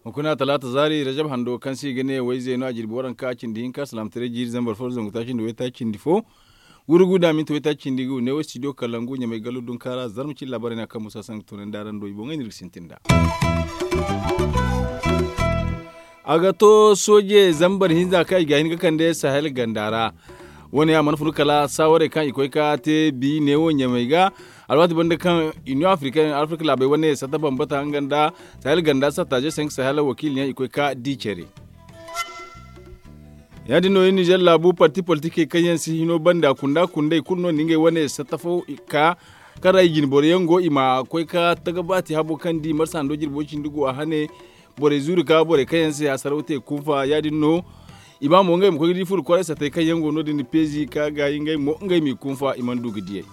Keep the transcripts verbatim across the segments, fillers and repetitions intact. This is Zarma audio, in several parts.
Hunkuna talaata zaari rajab hando kaŋ se i ga ne wayze no a jirbi waranka cindi hinka salaamataray jiiri zambar fo zangu taaci nda waytaaci cindi fo. Gurugu da minti waytaaci cindi gu ne wo studio kalangu ɲamay gallo dunkaara zarma cilla barayna kaŋ musa sangu tunandi araŋ do i boŋey no iri ga sintin nd'a. A ga to sooje zambar hinza kaŋ i ga hin ga kande sahel ganda ra. Wane a mana funu kala saawarey kaŋ i koy ka te bi neewo ɲamey ga. Alwaati banda kaŋ union africaine afrika laabey wane satta bambata nga nda sahel ganda satta je senk sahel wakiili yaŋ i koy ka di care. Ya- din no iri nizer laabu parti politikey kaŋ yaŋ si hino banda kunda kundey kulu no na ngey wane satta fo ka kaŋ ra i jinboro yaŋ go i ma koy ka tagabaati habo kaŋ di marsa hando jirbo cindi go a hane. Borey zuuri ka borey kaŋ yaŋ se hasaraw te kunfa ya- din no. I ba mo ngey ma koy ga di furo kwaray satey kaŋ yaŋ go no- din peezi ka gaayi ngey mo ngey m'i kunfa i mana du ga diyey.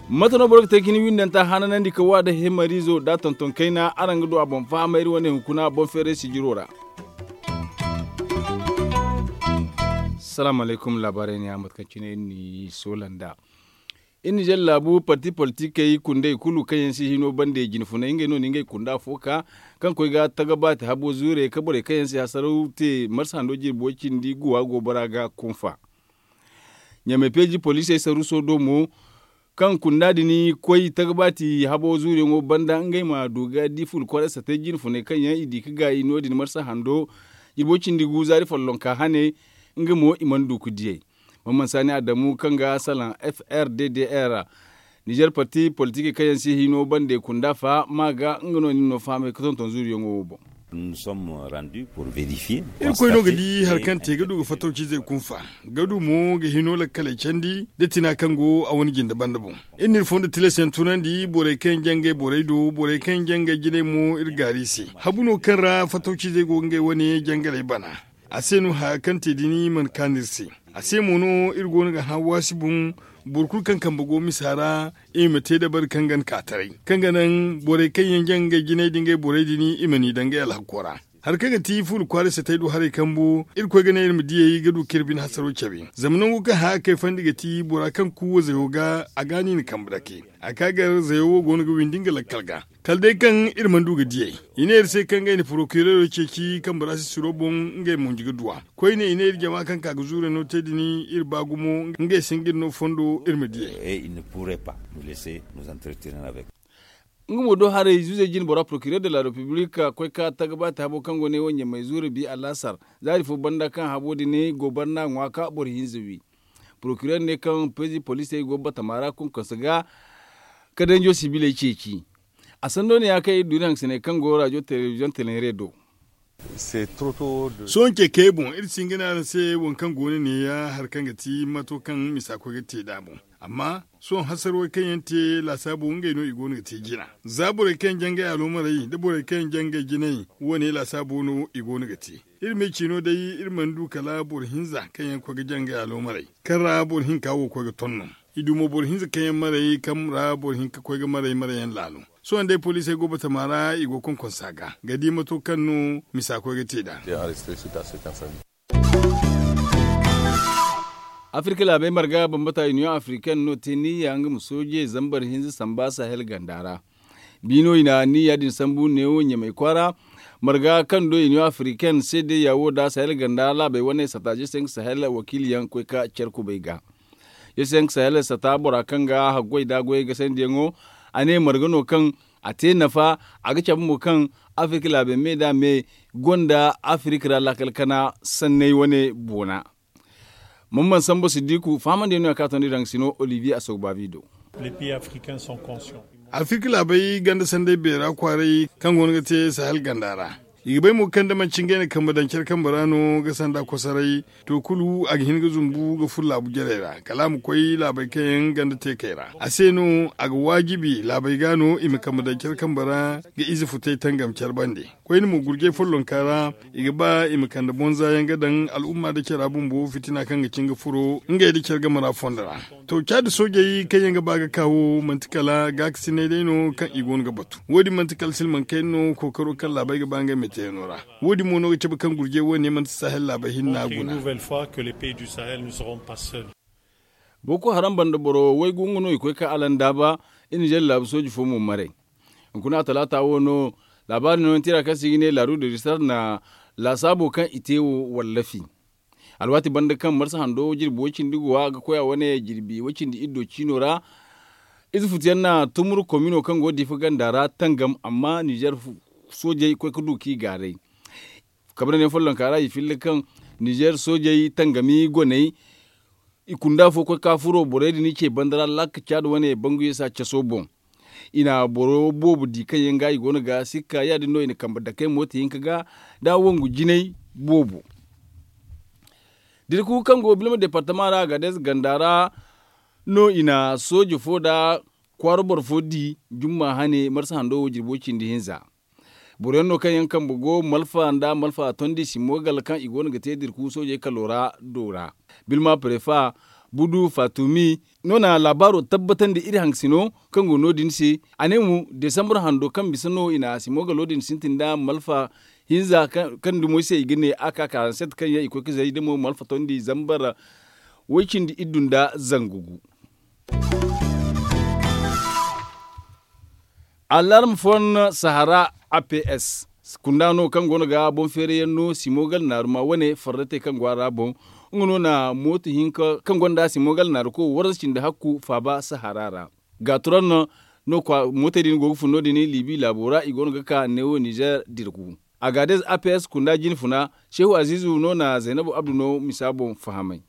Mate no boro ga te ga ni windanta hananandi ka wa da hemariizo da tonton kayna araŋ ga du a boŋ fahamay iri wane hunkuna boŋ feeray sijiro ra. Salaamu alaykum laabaarey ne a mate kaŋ cine iri n'i soola nd'a. Iri nizer laabu parti politikey kundey kulu kaŋ yaŋ si hino bande jinfunay ngey no na ngey kunda fo ka kaŋ koy ga tagabaati habo zuure ka borey kaŋ yaŋ si hasaraw te marsa hando jirbo cindi guwa go bora ga kunfa. Ɲamay peeji poliisey saruuso do mo kaŋ kunda din koy tagabaati habo zuuriyaŋo banda ngey ma du ga di ful kwaray satay jinfunay kaŋ yaŋ i di ga gaayi no- din marsa hando jirbo cindi gu zaari follonka hane. Nga mo i mana du ga diyey. Mamman saani adamu kaŋ ga salaŋ f r d d r nizer parti politikey kaŋ yaŋ si hino bande kunda fa ma ga nga no nin no fahamay ga tonton zuuriyaŋo wo boŋ. Iri koy no ga di hari kaŋ te ga du ga fattawcizey kunfa ga du mo ga hino lakkaley candi da tina kaŋ go a wane jinde banda boŋ. Iri n'iri fondo tilas yaŋ tunandi borey kaŋ yaŋ jangay borey do borey kaŋ yaŋ jangay jinay mo iri gaari i se. Habu no kaŋ ra fattawcizey go ga ngey wane jangaley bana. A se no haya kaŋ te din mana kaanu iri se. A se mo no iri go no ga hã waasi boŋ boro kulu kaŋ kambe go misa ra i ma te dabari kaŋ ga ni ka taray kaŋ ga naŋ borey kaŋ yaŋ jaŋ ngey jinay da ngey borey din i ma n'i daŋ ngey alhakko ra. Hari kaŋ ga ti fuula kwaara satay do haray kambu iri koy ga ne iri ma diyey ga du kaŋ iri bine hasaro cabe zama nangu kaŋ haya kayfandi ga ti bora kaŋ kuuwa zayo ga a ga no i na kambe dake. A ka gar zayo wo go no ga windi nga lakkal ga kala day kaŋ iri mana du ga diyey. I ne iri se kaŋ ngey na porokireero ceeci kambe ra sisiro boŋ ngey monji ga duw'a. Koyne i ne iri jama kaŋ ka ga zuurey no te din iri ba gumo ngey se nga iri no fondo iri ma diyey. Nga mo do haray zuuzey jine bora procureur de la république koy ka tagabaati habo kaŋ go ne wo ɲamay zuure bi alaasar zaari fo banda kaŋ habo din go barna ŋwa ka boro hinza wi. Procureur ne kaŋ peezi poliisey go batama ra konkonse ga ka danjo sibiley ceeci. A sando ne ya kaŋ iri du iri hangasiney kaŋ go rajo telebiziyoŋ teleere do. Sohõ ce kay boŋ iri si hin ga ne araŋ se waŋ kaŋ go no ne ya hari kaŋ ga ti mato kaŋ misa koy ga te nd'a boŋ. Amma sohõ hasarwey kaŋ yaŋ te laasaabo ngey no i go no ga te jina. Za borey kaŋ yaŋ jangay aloomarey nda borey kaŋ yaŋ jangay jinay wo- ne laasaabo no i go no ga te. Iri me ciino day iri mana du kala boro hinza kaŋ yaŋ koy ga jangay aloomarey kaŋ ra boro hinka wo koy ga ton no. I du mo boro hinza kaŋ yaŋ maray kaŋ ra boro hinka koy ga maray maray yaŋ laalo. Sohõ day poliisey go batama ra i go konkonsa ga ga di mato kaŋ no misa koy ga te nd'a. Afirka laabey marga bambata union africaine no te niyya nga ma sooje zambar hinza samba sahel ganda ra. Biino i na niyya din sambu neewo ɲamay kwaara marga kaŋ do union africaine se day yawo da sahel ganda laabey wane sata je se nga sahel wakiili yaŋ koy ka care kubay ga. Iri se nga sahel sata bora kaŋ ga haggoy da goyey gasandiyaŋo a ne marga no kaŋ a te nafa. A ga cabe mo kaŋ afirka laabey me da me gonda afirka ra laakal kana sanney wane boona. Mamman sambo siddiku fahamandi no ya ka tondi daŋ sino olivier asogbavi do. Afirka laabey ganda sanday beera kwaaray kaŋ go no ga te sahel ganda ra. I ga bay mo kaŋ da manci ngey na kambe daŋ care kambe ra no ga sanda kosoray to kulu a ga hin ga zumbu ga furo laabu jarey ra kala a ma koy laabey kaŋ yaŋ ganda teekey ra a se no a ga waajibi laabey ga no i ma kambe daŋ care kambe ra ga ize futay tangam care bande. Koyne mo gurjay follonka ra i ga ba i ma kande bonza yaŋ ga daŋ al'umma nda cara bumbo fitina kaŋ ga cin ga furo ngey nda care game ra fondo ra. To caadi soojey kaŋ yaŋ ga ba ga ka wo manti kala gaakasinay day no kaŋ i go no ga batu wo- din manti kala silmaŋ kayna no kookaro kaŋ laabey ga ba ngey ma. teeno ra. Wo- din mo no ga cabe kaŋ gurjey wo- ne manti sahel laabey hinna guna. Boko haram banda boro waygu nga no i koy ka alandaaba i na jare laabu sooji fo mo maray. Hunkuna talaata wo no laabaari nooyaŋ tira kaŋ se i ga ne laaru de risar na laasaabo kaŋ i te wo wallafi. Alwaati banda kaŋ marsa hando jirbi way cindi go a ga koy a wane jirbi way cindi iddo ciino ra. Ize futu yaŋ na tumur komino kaŋ go diifa ganda ra tangam amma nizer soojey koy ga du k'i gaaray. Kabrandi yaŋ follonka ra i filla kaŋ nizer soojey tangami goney i kunda fo koy ka furo borey din i ce banda ra lakka caada wane bangu ye sa caso boŋ. I na boro boobo di kaŋ yaŋ ga i go no ga sikka ya- din no i na kambe dakey mooto hinka ga da wangu jinay boobo. Dirku kaŋ go bilma departama ra ga day ganda ra no i na sooje fo da kwaara boro fo di jumma hane marsa hando wo jirbo cindi hinza. Boro yaŋ no kaŋ yaŋ kambe go malfa nda malfa tondi simogal kaŋ i go no ga te dirku soojey kalo ra do ra. Bilma prefa budu fatumi no na laabaaro tabbatandi iri hangasino kaŋ go no- din se. A ne mo desambur hando kaŋ bisa no i na simogalo din sintin nda malfa hinza kaŋ dumo se i ga ne a ka karanset kaŋ yaŋ i koy ga zay da mo malfa tondi zambar way cindi iddu nda zangu gu. Alarm fon sahara aps kunda no kaŋ go no ga boŋ feere yaŋ no simogal naaru ma wane farratey kaŋ go a ra boŋ. Nga no na mooto hinka kaŋ gonda simogal naaru ko waranza cindi hakku faaba sahara ra. Gaaturan no mootey din go ga fun no- din libi laabo ra i go no ga ka neewo nizer dirku. Agades aps kunda jine funa shehu azizu no na zaynabu abdu no misa boŋ fahamay.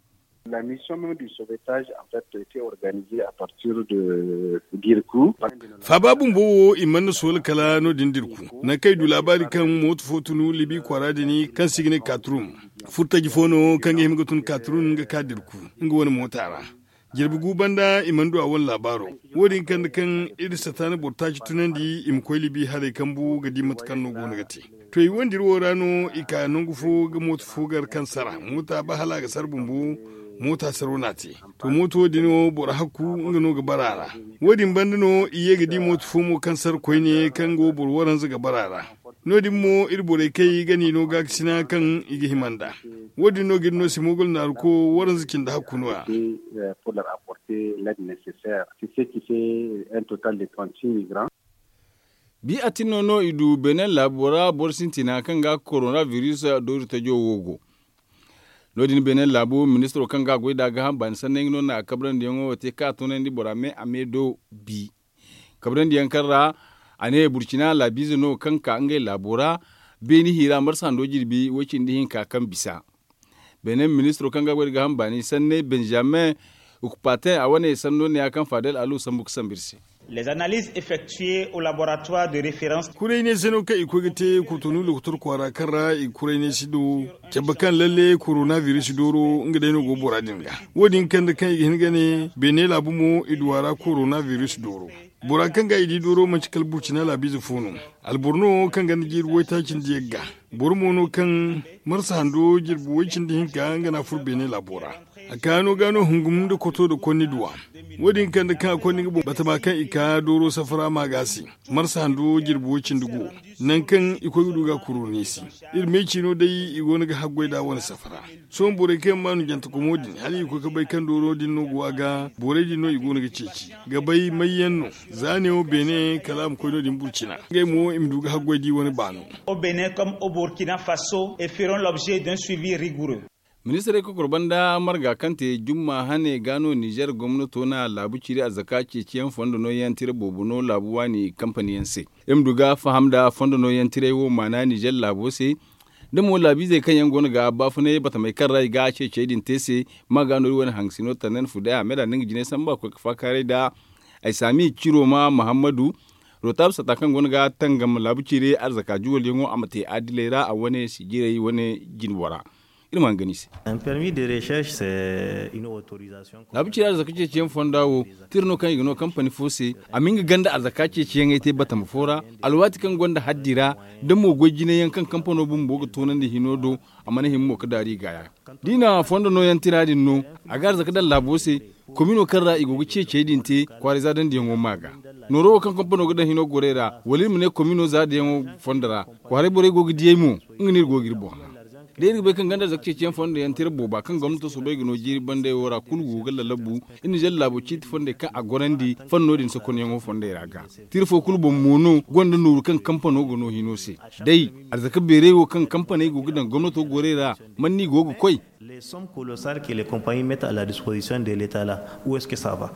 La mission du sauvetage en fait été organisée à partir de dirku. Faaba bumbo wo i mana soola kala no- din dirku nangu kaŋ i du laabaari kaŋ mooto fo tunu libi kwaara din kaŋ se i ga ne katrun furtaji fo no kaŋ ga hima ga tun katrun ga ka dirku nga wane moota ra. Jirbi gu banda i mana du a wane laabaaro. Wo- din kande kaŋ iri sataana boro taaci tunandi i ma koy libi haray kambu ga di mate kaŋ no go no ga te. To i wandiri wo ra no i ka nangu fo ga mooto fo gar kaŋ sara moota ba hala a ga sara bumbo. Moota saro no a te. To mooto wo- din wo boro hakku nga no ga bara a ra. Wo- din banda no i ye ga di mooto fo mo kaŋ sara koyne kaŋ go boro waranza ga bara a ra. No- din mo iri borey kay ga ni no gaakasina kaŋ i ga hima nd'a. Wo- din no ga iri no simogol naaru ko waranza cindi hakku no- ya. Bi atinno no i du benin laabu ra boro sintina kaŋ ga korona biris doori tajo wo go. No- din benin laabu ministiro kaŋ ga goy da gaaham baani sanney nga no na kabrandi yaŋo wo te kaŋ a tunandi bora me a me do bi. Kabrandi yaŋ kaŋ ra a ne burcina laabiize no kaŋ ka ngey laabo ra. Beeni hiira marsa hando jirbi way cindi hinka kaŋ bisa. Benin ministiro kaŋ ga goy da gaaham baani sanney benjamin ukpatin a wane sanno ne ya kaŋ fadel alu sambu ga sambu iri se. Les analyses effectuées au laboratoire de référence. Kurayney se no kaŋ i koy ga te kotonu lokotor kwaara kaŋ ra i kurayney si do. Cabba kaŋ lalle korona biris dooro nga day no go bora din ga. Wo- din kande kaŋ i ga hin ga ne beene laabu mo i du a ra korona biris dooro. Bora kaŋ ga i di dooro manti kala burcina laabiize fo no. Alboro no kaŋ ganda jiiri waytaaci nda yagga. Boro mo no kaŋ marsa hando jirbi way cindi hinka nga no a furo beene laabo ra. A kaano ga no hungum nda koto nda konni duwa. Wo- din kande kaŋ a konni nga boŋ batama kaŋ i ka dooro safara ma ga se. Marsa hando jirbi way cindi gu nangu kaŋ i koy ga du ga a kuru no i se. Iri me ciino day i go no ga haggoy nd'a wane safara. Sohõ borey kaŋ yaŋ ma no jantakomo din hala i ga koy ga bay kaŋ dooro din no go a ga borey din no i go no ga ceeci ga bay may yaŋ no. Za neewo beene kala a ma koy no- din burcina ngey mo i ma du ga haggoy da i wane baano. Au bénin comme au burkina faso et feront l'objet d'un suivi rigoureux. Ministirey kokoro banda marga kaŋ te jumma hane ga no nizer gomnato na laabu ciiri arzaka ceeciyaŋ fondo nooyaŋ tira boobo no laabu waani kampaniyaŋ se. Iri ma du ga faham nda fondo nooyaŋ tiray wo maana nizer laabo se. Da mo laabiizey kaŋ yaŋ go no ga baafunay batamey kaŋ ra i ga ceecey din te se. Ma ga no iri wane hangasino tannen fudey a me da nda nga jinay samba koy ga faakaaray nda ay saami ciro ma muhammadu. Rotaab sata kaŋ go no ga tangam laabu ciiri arzaka juwalyaŋo a ma te adiley ra a wane si jiray wane jinbo ra. Iri ma hangan i se. Laabu ciiri arzaka ceeciyaŋ fonda wo tira no kaŋ i ga no kampani fo se. A ma nga ganda arzaka ceeciyaŋey te batama fo ra. Alwaati kaŋ gonda haddi ra da mo goy jinay yaŋ kaŋ kampano bumbo ga toonandi hino do. A mana hima mo ga daaru i gaaya da i na fondo nooyaŋ tira din no. A ga arzaka daŋ laabo se. komino kaŋ ra i go ga ceecey din te kwaara za dandiyaŋo ma ga. Nooro wo kaŋ kompano ga daŋ hino gorey ra wala iri ma ne komino za diyaŋo fondo ra, kwaaray borey go ga diyey mo. Nga no iri go ga iri boŋ hã. Da iri ga bay kaŋ ganda zaka ceeciyaŋ fondo yaŋ tira booba kaŋ gomnato soobay ga no jiiri bandey wo ra kulu go ga lalabu. Iri na zalla laabo ciiti fondey kaŋ a gorandi fanno din sokonyaŋo fondey ra ga. Tira fo kulu boŋ mo no gonda nooru kaŋ kampano ga no hino se. Day, arzaka beeray wo kaŋ kampaney go ga daŋ gomnato gorey ra, man no i go ga koy? Les sommes colossales que les compagnies mettent à la disposition de l'état là, où est-ce que ça va?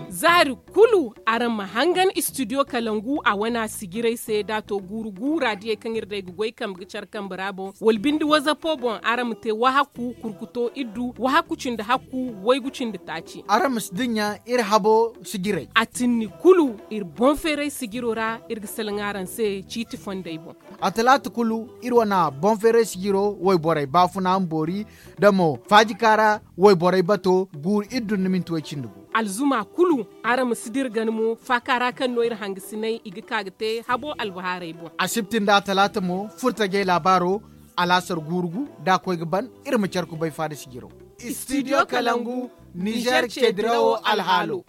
Zaari kulu araŋ ma hangan studio kalangu a wana sijiray se da a to guuru guura diyey kaŋ iri day ga goy kambe ga care kambe ra boŋ wala binde wazapo boŋ araŋ ma te wahakku kurkuto iddu wahakku cindi hakku waygu cindi taaci. Araŋ ma si dinya iri habo sijiray a tinni kulu iri boŋ feeray sijiro ra iri ga salaŋ araŋ se ciiti fondey boŋ. A talaata kulu iri wane boŋ feeray sijiro wayborey baafuna ma boori da mo faaji kaara wayborey bato guuru iri dun ni minti way cindi gu. Alzuma kulu araŋ ma si dira gana mo faaka ra kaŋ no iri hangasinay i ga ka ga te habo albahaarey boŋ. Asibti nda talaata mo furtajey laabaaro alaasar guuru gu da a koy ga ban. Iri ma care kubay faada sijiro. Studio kalangu nizer ceedirawo alhaalo.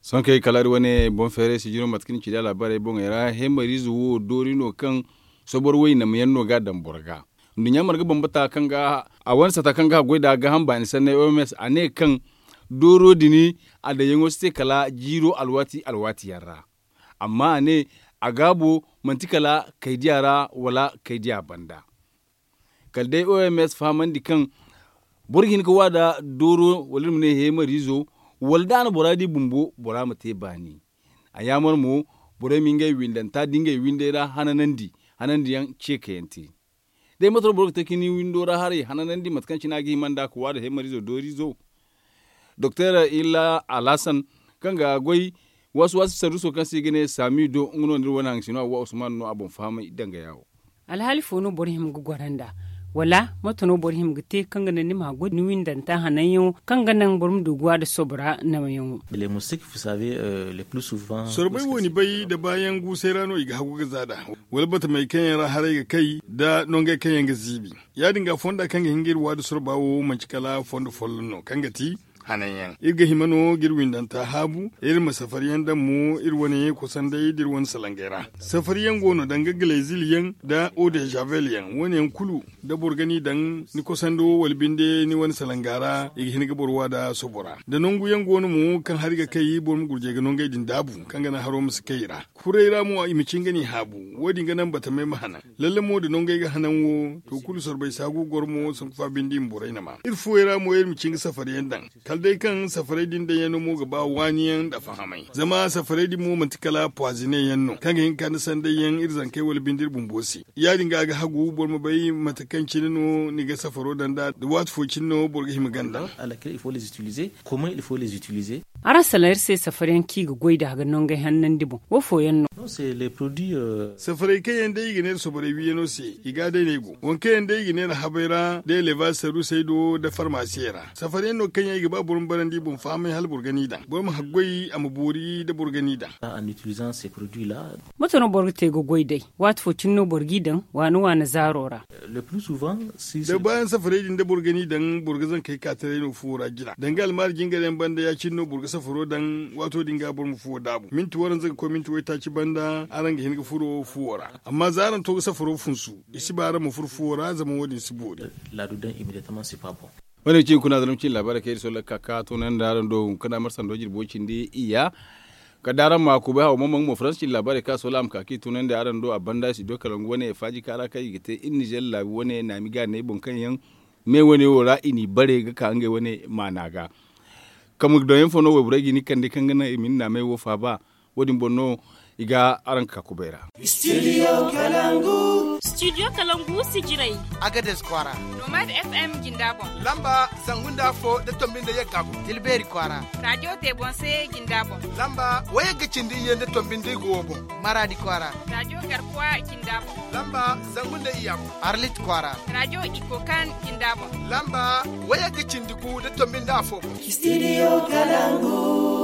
Sohõ kaŋ ay kalaari wane boŋ feeray sijiro mate kaŋ ni ci da laabaarey boŋey ra hemariize wo doori no kaŋ sobor waynam yaŋ no ga a daŋ boro ga. Nduɲɲa marga bambata kaŋ ga a wane sata kaŋ ga a goy nd'a gaaham baani sanney oms a ne kaŋ dooro din a daŋyaŋo si te kala jiiro alwaati alwaati yaŋ ra. Amma a ne a gaabo manti kala kaydiya ra wala kaydiya banda. Kala day oms fahamandi kaŋ boro ga hin ga wa nda dooro wala iri ma ne heemariizo wala da a na bora di bumbo bora ma te baani. A yaamar mo borey ma ngey windanta da ngey windey ra hananandi hanandiyaŋ ceekayaŋ te. Day mate no boro ga te ka ni windo ra haray hananandi mate kaŋ cine a ga hima nd'a ga wa nda heemariizo dooriizo. Doktor illa alhasan kaŋ ga goy waasi waasi sarduso kaŋ se i ga ne saami do nga no nda iri wane haŋ sino awa usman no a boŋ fahamay dangaya wo. Alhaali fo no boro hima ga goro nd'a wala mate no boro hima ga te kaŋ ga naŋ ni ma goy ni windanta hananyaŋo kaŋ ga naŋ boro ma du ga wa nda sobora naŋyaŋo? Sorbay wo ni bay nda baayaŋ guusay ra no i ga hagu ga za nd'a wala batamey kaŋ yaŋ ra haray ga kay nda nongey kaŋ yaŋ ga ziibi. Ya- din ga fonda kaŋ ga hin ga iri waadu sorba wo manti kala fondo folloŋ no kaŋ ga ti hananyaŋ iri ga hima no ga iri windanta haabu iri ma safariyaŋ daŋ mo iri wane kosandey da iri wane salangey ra. Safariyaŋ go no danga galezil yaŋ nda eau de javel yaŋ wane yaŋ kulu da boro ga ni daŋ ni kosando wala binde ni wane salanga ra i ga hin ga boro wa nda sobo ra da nangu yaŋ go no mo kaŋ hari ga kay boro ma gurjay ga nongey din daabu kaŋ ga naŋ haro ma si kay i ra. Kuray ra mo i ma cin ga ni haabu wo- din ga naŋ batamey ma hanan. Lalle mo da nongey ga hanan wo to kulu sorbay si hagu goro mo sanku fa binde i ma borey na ma iri fuwey ra mo iri ma cin ga safariyaŋ daŋ. Kala day kaŋ safaray din daŋ yaŋ no mo ga ba waani yaŋ nda fahamay zama safaray din mo manti kala puwazine yaŋ no kaŋ ga hin ga ka nda sanday yaŋ iri zankey wala binde iri bumbo se. Ya- din ga a ga hagu boro ma bay mate kaŋ cine no ni ga safaro daŋ nd'a da waati fo cine no boro ga hima ganda. Araŋ salaŋ iri se safariyaŋ kaŋ i ga goy nd'a ga nongey hannandi boŋ wo fooyaŋ no? Safaray kaŋ yaŋ day i ga neera soborey wiiyaŋo se i ga a day no ay go waŋ kaŋ yaŋ day i ga neera habey ra da elebaz sarusey do nda farmasiyey ra. Safariyaŋ no kaŋ yaŋ i ga ba boro ma barandi i boŋ fahamay hala boro ga ni daŋ boro ma haggoy a ma boori nda boro ga ni daŋ. Mate no boro ga te ga goy day? Waati fo cine no boro g'i daŋ waana waana zaaro ra. Da baayaŋ safaray din da boro ga ni daŋ boro ga zankey ka taray no fuwo ra jina danga almaari jingar yaŋ banda ya- cine no boro ga safaro daŋ waato din ga boro ma fuwo daabu minti waranza ga koy minti waytaaci banda araŋ ga hin ga furo fuwo ra. Amma za araŋ to ga safaro funsu i si ba araŋ ma furo fuwo ra zama wo- din si boori. Wane ga ci hunkuna zalma cine laabaarey kaŋ iri sohõ lakka ka toonandi araŋ do hunkuna marsa nda jirbo cindi iyya. Kala da araŋ ma kubay haw mamaŋ mo faransa cindi laabaarey kaŋ a sohõ a ma ka kaŋ i toonandi araŋ do a banda studio kalangu wane faaji kaara kaŋ i ga te iri nizer laabu wane naami ga ne boŋ kaŋ yaŋ me wane wo ra i n'i bare ga ka ngey wane maana ga. Kambe doŋ yaŋ fo no wayborey ga ni kande kaŋ ga naŋ i ma ni naamey wo faaba. Wo- din boŋ no i ga araŋ ka kubay ra. Studio kalangu sijirey. Agades kwaara. Nomad fm jinda boŋ. Lamba zangu nda afo nda tombi nda yagga boŋ. Tilbeeri kwaara. Radiyo tebonse jinda boŋ. Lamba wayagga cindi iyye nda tombi nda igo wo boŋ. Maraadi kwaara. Radiyo garkuwa jinda boŋ. Lamba zangu nda iyya boŋ. Arlit kwaara. Radiyo ikokan jinda boŋ. Lamba wayagga cindi gu nda tombi nda afo boŋ. Studio kalangu.